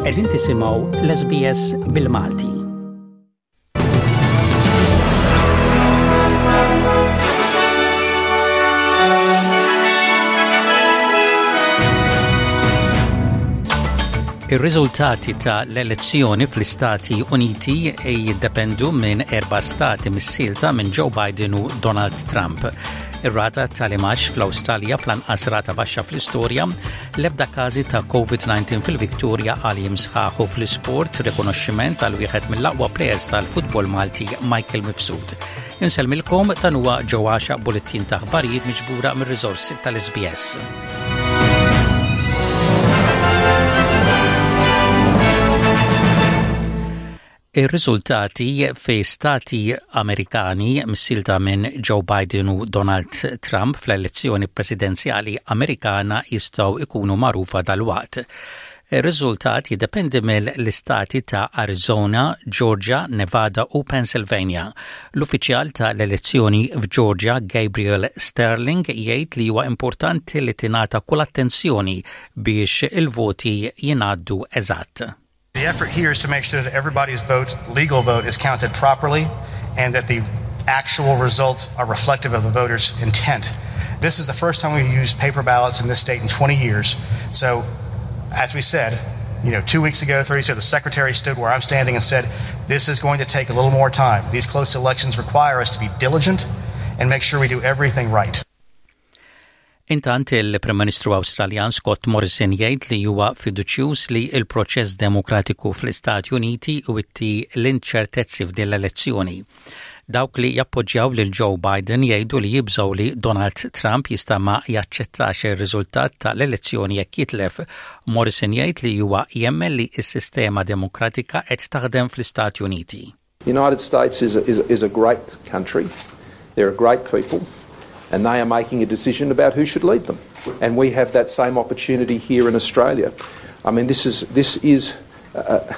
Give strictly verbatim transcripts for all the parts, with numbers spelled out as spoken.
Qegħdin tisimgħu l-S B S bil-Malti. Ir-riżultati ta' l-elezzjoni fl-Istati Uniti jiddependu minn erba' stati missielta minn Joe Biden u Donald Trump. Ir-rata tal-imgħax fl-Awstralja fl-anqas rata baxxa fl-istorja, l-ebda każi ta' COVID nineteen fil-Victoria għal jiem sħaħ u fl-isport, rikonoxximent għal wieħed mill-aqwa players tal-futbol Malti, Michael Mifsud. Insellmilkom, dan huwa ġewwaxa bulettin ta' aħbarijiet miġbura mir-riżorsi tal-S B S. Ir-riżultati fi stati Amerikani missielta minn Joe Biden u Donald Trump fl-elezzjoni presidenzjali Amerikana jistgħu ikunu magħrufa dal-waqt. Ir-riżultat jiddependi mill-istati ta' Arizona, Georgia, Nevada u Pennsylvania. L-uffiċjal ta' l-elezzjoni f'Georgia, Gabriel Sterling, jgħid li huwa importanti li tingħata kull attenzjoni biex il-voti jingħaddu eżatt. The effort here is to make sure that everybody's vote, legal vote, is counted properly and that the actual results are reflective of the voters' intent. This is the first time we've used paper ballots in this state in twenty years. So, as we said, you know, two weeks ago, three weeks ago, the secretary stood where I'm standing and said, "This is going to take a little more time." These close elections require us to be diligent and make sure we do everything right. Intant, il-Prim Ministru Awstraljan Scott Morrison jgħid li huwa fiduċjuż li il-proċess demokratiku fl-Istati Uniti iwitti l-inċertezzi f'din l-elezzjoni. Dawk li jappoġġjaw lil Joe Biden jgħidu li jibżgħu li Donald Trump jista' ma jaċċettax ir-riżultat tal-elezzjoni jekk jitlef. Morrison jgħid li huwa jemmen li s-sistema demokratika qed taħdem fl-Istati Uniti. The United States is a, is a, is a great country. They're a great people, and they are making a decision about who should lead them. And we have that same opportunity here in Australia. I mean, this is, this is a,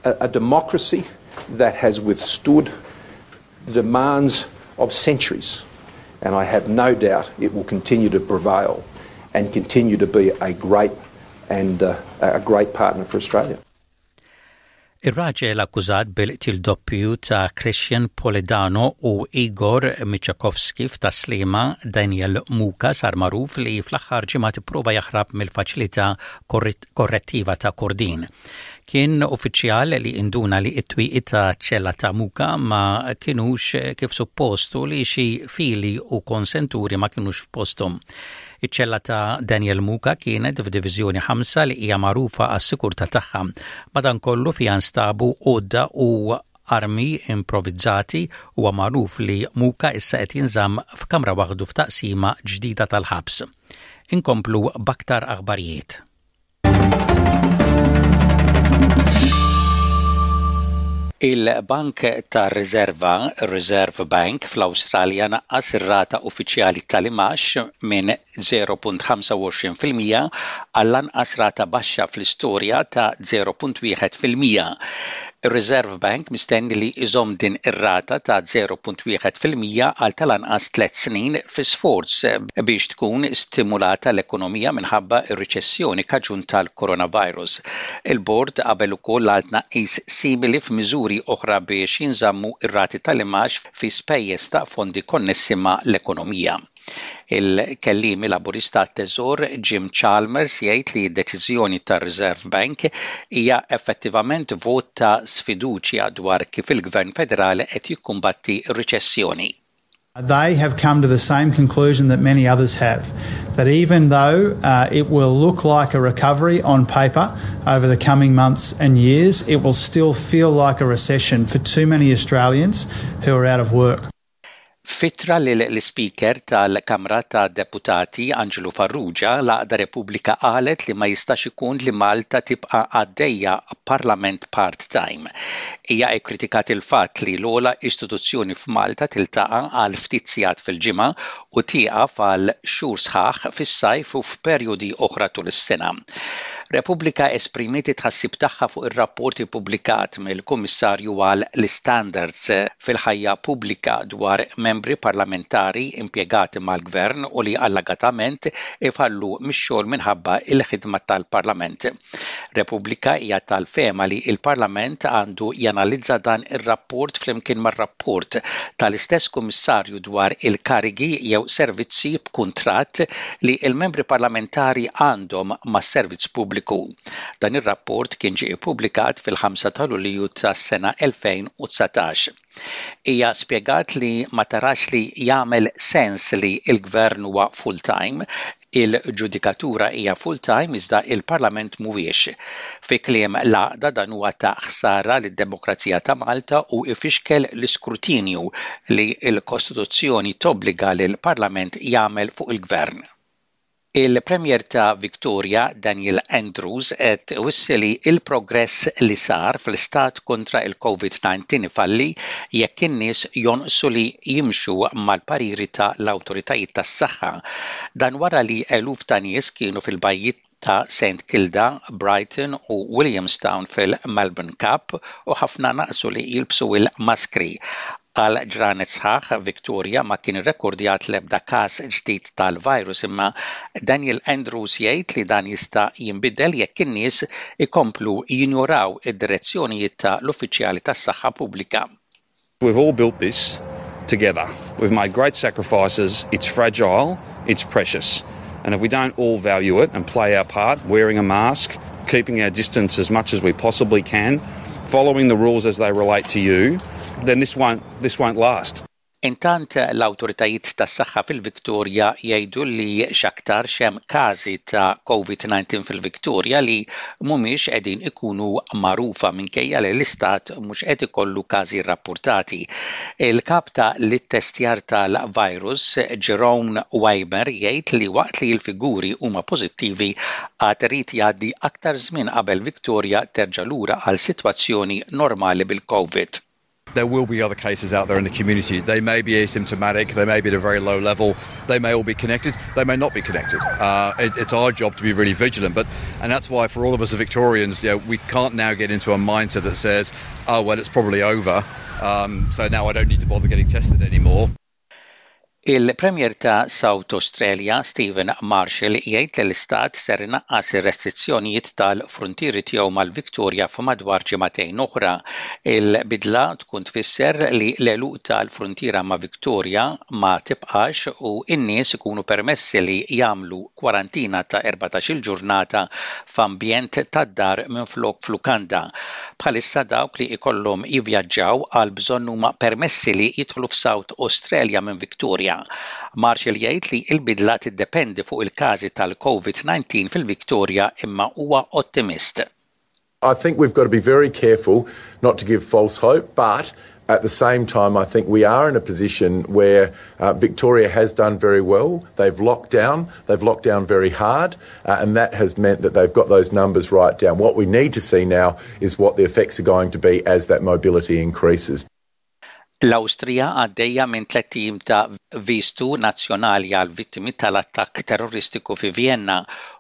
a, a democracy that has withstood the demands of centuries. And I have no doubt it will continue to prevail and continue to be a great and uh, a great partner for Australia. Ir-raġel akkużat bil-qtil doppju ta' Christian Polidano u Igor Michakovski f'Tas-Sliema, Daniel Muka, sar magħruf li fl-aħħar ġimgħa ipprova jaħrab mill-faċilità korrettiva ta' Kordin. Kien uffiċjal li induna li it-twieqi ta' ċella ta' Muka ma kienux kif suppostu, li xi fili u konsenturi ma kienux f'posthom. Iċ-ċella ta' Daniel Muka kienet f'Diviżjoni ħamsa, li hija magħrufa għas-sikurtà tagħha. Madankollu, fiha nstabu għodda u armi improvvizzati u magħruf li Muka issa qed jinżamm f'kamra waħdu f'taqsima ġdida tal-ħabs. Inkomplu b'aktar aħbarijiet. Il-Bank tar Riserva, Reserve Bank, fl-Awstralja naqqas ir-rata uffiċjali tal-imgħax minn zero punt ħamsa u għoxrin fil-mija għall-anqas rata baxxa fl-istorja ta' zero punt wieħed fil-mija. Ir-Reserve Bank mistenni li iżomm din ir-rata ta' zero punt wieħed fil-mija għal tal-anqas tliet snin fi sforz biex tkun stimulata l-ekonomija minħabba ir-riċessjoni kaġun tal-coronavirus. Il-bord qabel ukoll għal tnaqqis simili f'miżuri oħra biex jinżammu ir-rati tal-imgħax fi spejjeż ta' fondi konnessi ma' l-ekonomija. Il-kellimi Laburista Teżor Jim Chalmers jgħid li d-deċiżjoni tar-Reserve Bank hija effettivament vot ta' sfiduċja dwar kif il-Gvern Federali qed jikkumbatti r-riċessjoni. They have come to the same conclusion that many others have, that even though uh, it will look like a recovery on paper over the coming months and years, it will still feel like a recession for too many Australians who are out of work. F'ittra lill-Speaker tal-Kamra ta' Deputati Angelo Farrugia, l-Għaqda Repubblika qalet li ma jistax ikun li Malta tibqa' għaddejja parlament part-time. Hija kkritikat il-fatt li l-ogħla istituzzjoni f'Malta tiltaqa' għal ftit sigħat fil-ġimgħa u tieqaf għal xhur sħaħ fis-sajf u f'perjodi oħra tul is-sena. Repubblika esprimiet tħassib tagħha fuq ir-rapport ippubblikat mill-Kummissarju għal l-Standards fil-ħajja pubblika dwar membri parlamentari impjegati mal-gvern u li allegatament ifallu mix-xogħol minħabba il-ħidma tal-Parlament. Repubblika hija tal-fehma li il-Parlament għandu janalizza dan ir-rapport flimkien mar-rapport tal-istess kummissarju dwar il-karigi jew servizzi b'kuntratt li il-membri parlamentari għandhom mas-servizz pubbliku pubbliku. Dan ir-rapport kien ġie ippubblikat fil-ħamsa ta' Lulju tas-sena elfejn u dsatax. Hija spjegat li ma tarax li jagħmel sens li l-gvern huwa full-time, il-ġudikatura hija full-time, iżda il-Parlament mhuwiex. Fi kliem l-għaqda, dan huwa ta' ħsara lid-demokrazija ta' Malta u ifixkel l-iskrutinju li l-Kostituzzjoni tobbliga lil Parlament jagħmel fuq il-gvern. Il-Premier ta' Victoria, Daniel Andrews, qed iwissi li il-progress li sar fl-istat kontra il-COVID disa ifalli jekk in-nies jonqsu li jimxu mal-pariri ta' l-awtoritajiet tas-saħħa. Dan wara li eluf ta' nies kienu fil-bajjiet ta' Saint Kilda, Brighton u Williamstown fil-Melbourne Cup u ħafna naqsu li jilbsu il-maskri. Għal ġranet sħaħ, Victoria ma kien irrekordjat l-ebda każ ġdid tal-virus, imma Daniel Andrews jgħid li dan jista' jinbidel jekk in-nies ikomplu jinjoraw id-direzzjonijiet ta' l-uffiċjali tas-saħħa pubblika. We've all built this together. We've made great sacrifices. It's fragile, it's precious. And if we don't all value it and play our part, wearing a mask, keeping our distance as much as we possibly can, following the rules as they relate to you, then this won't, this won't last. Intant, l-awtoritajiet tas-saħħa fil-Viktorja jgħidu li x'aktar hemm każi ta' COVID disa fil-Viktorja li mhumiex qegħdin ikunu magħrufa, minkejja li l-istat mhux qed ikollu każi rrappurtati. Il-kap ta' l-ittestjar tal-virus, Jeroen Weimar, jgħid li waqt li l-figuri huma pożittivi, għad irid jgħaddi aktar żmien qabel Victoria terġa' lura għal sitwazzjoni normali bil-COVID. There will be other cases out there in the community. They may be asymptomatic, they may be at a very low level, they may all be connected, they may not be connected. Uh, it, it's our job to be really vigilant, but and that's why for all of us as Victorians, you know, we can't now get into a mindset that says, "Oh well, it's probably over, um, so now I don't need to bother getting tested anymore." Il-Premier ta' South Australia, Stephen Marshall, jgħid li l-istat ser inaqqas ir-restrizzjonijiet tal-frontieri tiegħu mal-Victoria f'madwar ġimagħtejn oħra. Il-bidla tkun tfisser li l-għeluq tal-frontiera ma' Victoria ma tibqax u n-nies ikunu permessi li jagħmlu kwarantina ta' erbatax-il ġurnata f'ambjent tad-dar minflok f'lukanda. Bħalissa, dawk li ikollhom jivvjaġġaw għal bżonn huma permessi li jidħlu f'South Australia minn Victoria. Marshall jgħid li l-bidla tiddependi fuq il-każi tal-COVID disa fil-Victoria, imma huwa ottimist. I think we've got to be very careful not to give false hope, but at the same time, I think we are in a position where uh, Victoria has done very well. They've locked down, they've locked down very hard, uh, and that has meant that they've got those numbers right down. What we need to see now is what the effects are going to be as that mobility increases. L-Awstrija għaddejja minn tlett ijiem ta' vistu nazzjonali għal vittimi tal-attakk terroristiku fi Vienna.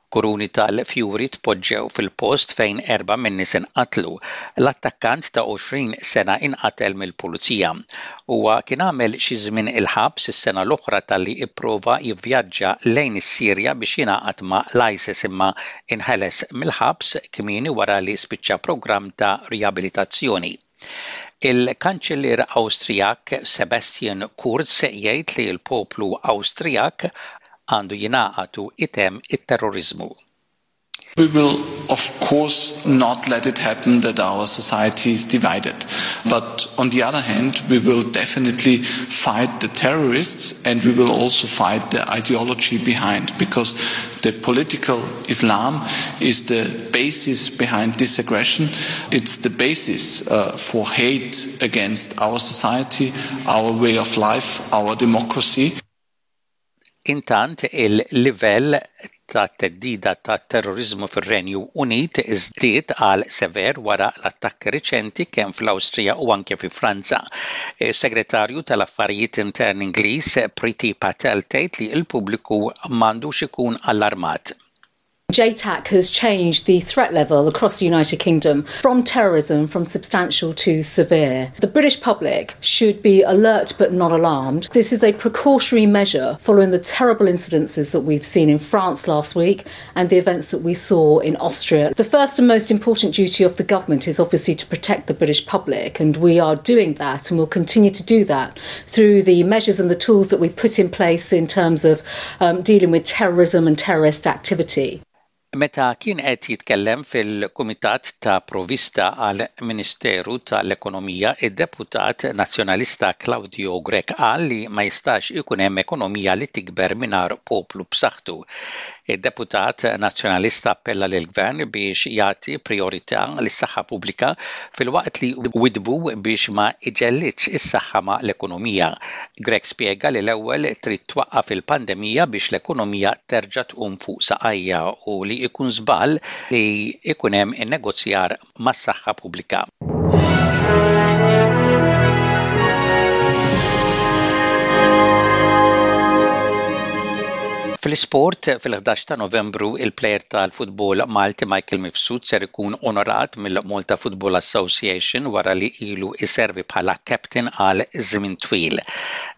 Kuruni tal-fjuri tpoġġew fil-post fejn erba' min-nies inqatlu. L-attakkant ta' għoxrin sena inqatel mill-pulizija. Huwa kien għamel xi żmien il-ħabs is-sena l-oħra talli ipprova jivvjaġġa lejn is-Sirja biex jingħaqad ma' l-ISIS, imma inħeles mill-ħabs kmieni wara li spiċċa programm ta' riabilitazzjoni. Il-Kanċellier Awstrijak Sebastian Kurz jgħid li l-poplu Awstrijak għandu jingħaqad u jtemm it-terrorizmu. We will, of course, not let it happen that our society is divided. But on the other hand, we will definitely fight the terrorists and we will also fight the ideology behind, because the political Islam is the basis behind this aggression. It's the basis uh, for hate against our society, our way of life, our democracy. Intant, il-livell ta' theddida ta' terroriżmu fir-Renju Unit żdied għal sever wara l-attakki riċenti kemm fl-Awstrija u anke fi Franza. Is-Segretarju tal-Affarijiet Interni Ingliż Priti Patel tgħid li l-pubbliku m'għandux ikun allarmat. J TAC has changed the threat level across the United Kingdom from terrorism from substantial to severe. The British public should be alert but not alarmed. This is a precautionary measure following the terrible incidences that we've seen in France last week and the events that we saw in Austria. The first and most important duty of the government is obviously to protect the British public, and we are doing that and will continue to do that through the measures and the tools that we put in place in terms of um, dealing with terrorism and terrorist activity. Meta kien qed jitkellem fil-Kumitat ta' Provista għal Ministeru tal-Ekonomija, id-deputat Nazzjonalista Claudio Grech qal li ma jistax ikun hemm ekonomija li tikber mingħajr poplu b'saħħtu. Id-deputat Nazzjonalista appella lill-gvern biex jagħti priorità lis-saħħa pubblika filwaqt li widbu biex ma iġellitx is-saħħa ma' l-ekonomija. Grech spjega li l-ewwel trid twaqqaf il-pandemija biex l-ekonomija terġa' tqum fuq saqajja u li ikun żball li ikun hemm innegozjar mas-saħħa pubblika. Fl-isport, fil-ħdax ta' Novembru, il-plejer tal-futbol Malti Michael Mifsud ser ikun onorat mill-Malta Football Association wara li ilu iservi bħala captain għal żmien twil.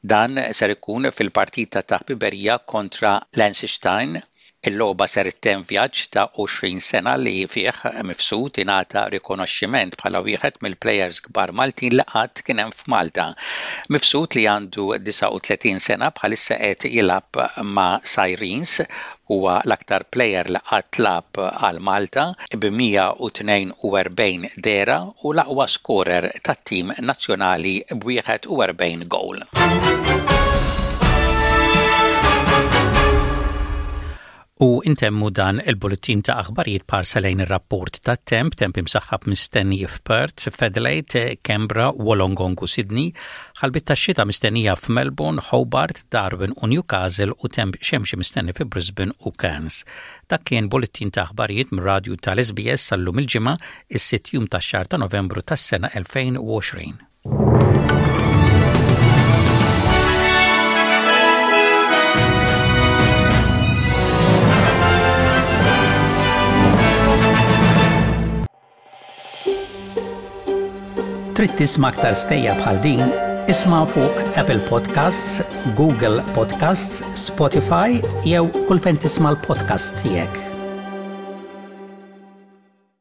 Dan ser ikun fil-partita ta' ħbiberija kontra Liechtenstein. Il-logħba ser ittemm vjaġġ ta' għoxrin sena li fih Mifsud ingħata rikonoxximent bħala wieħed mill-plejers kbar Maltin li qatt kien hemm f'Malta. Mifsud, li għandu disgħa u tletin sena, bħalissa qed jilgħab ma' Sirens. Huwa l-aktar plejer li qatt lagħab għal Malta b'mija u tnejn u erbgħin dehra u l-aqwa skorer tat-tim nazzjonali b'wieħed u erbgħin goal. U intemmu dan il-bulletin ta' aħbarijiet b'ħarsa lejn ir-rapport ta' temp, temp imsaħħab mistenni f'Perth, f'Adelaide, Canberra, Wollongong u Sydney, ħalbiet ta' xita mistennija f'Melbourne, Hobart, Darwin u Newcastle u temp xemxi mistenni fi Brisbane u Cairns. Dak kien bulletin ta' aħbarijiet mir-radju tal-S B S sal-lum il-ġimgħa, is-sitt jum tax-xahar ta' Novembru tas-sena elfejn u għoxrin. Trid tisma' aktar stejjer bħal din? Isma' fuq Apple Podcasts, Google Podcasts, Spotify jew kull fejn tisma' l-podcast tiegħek.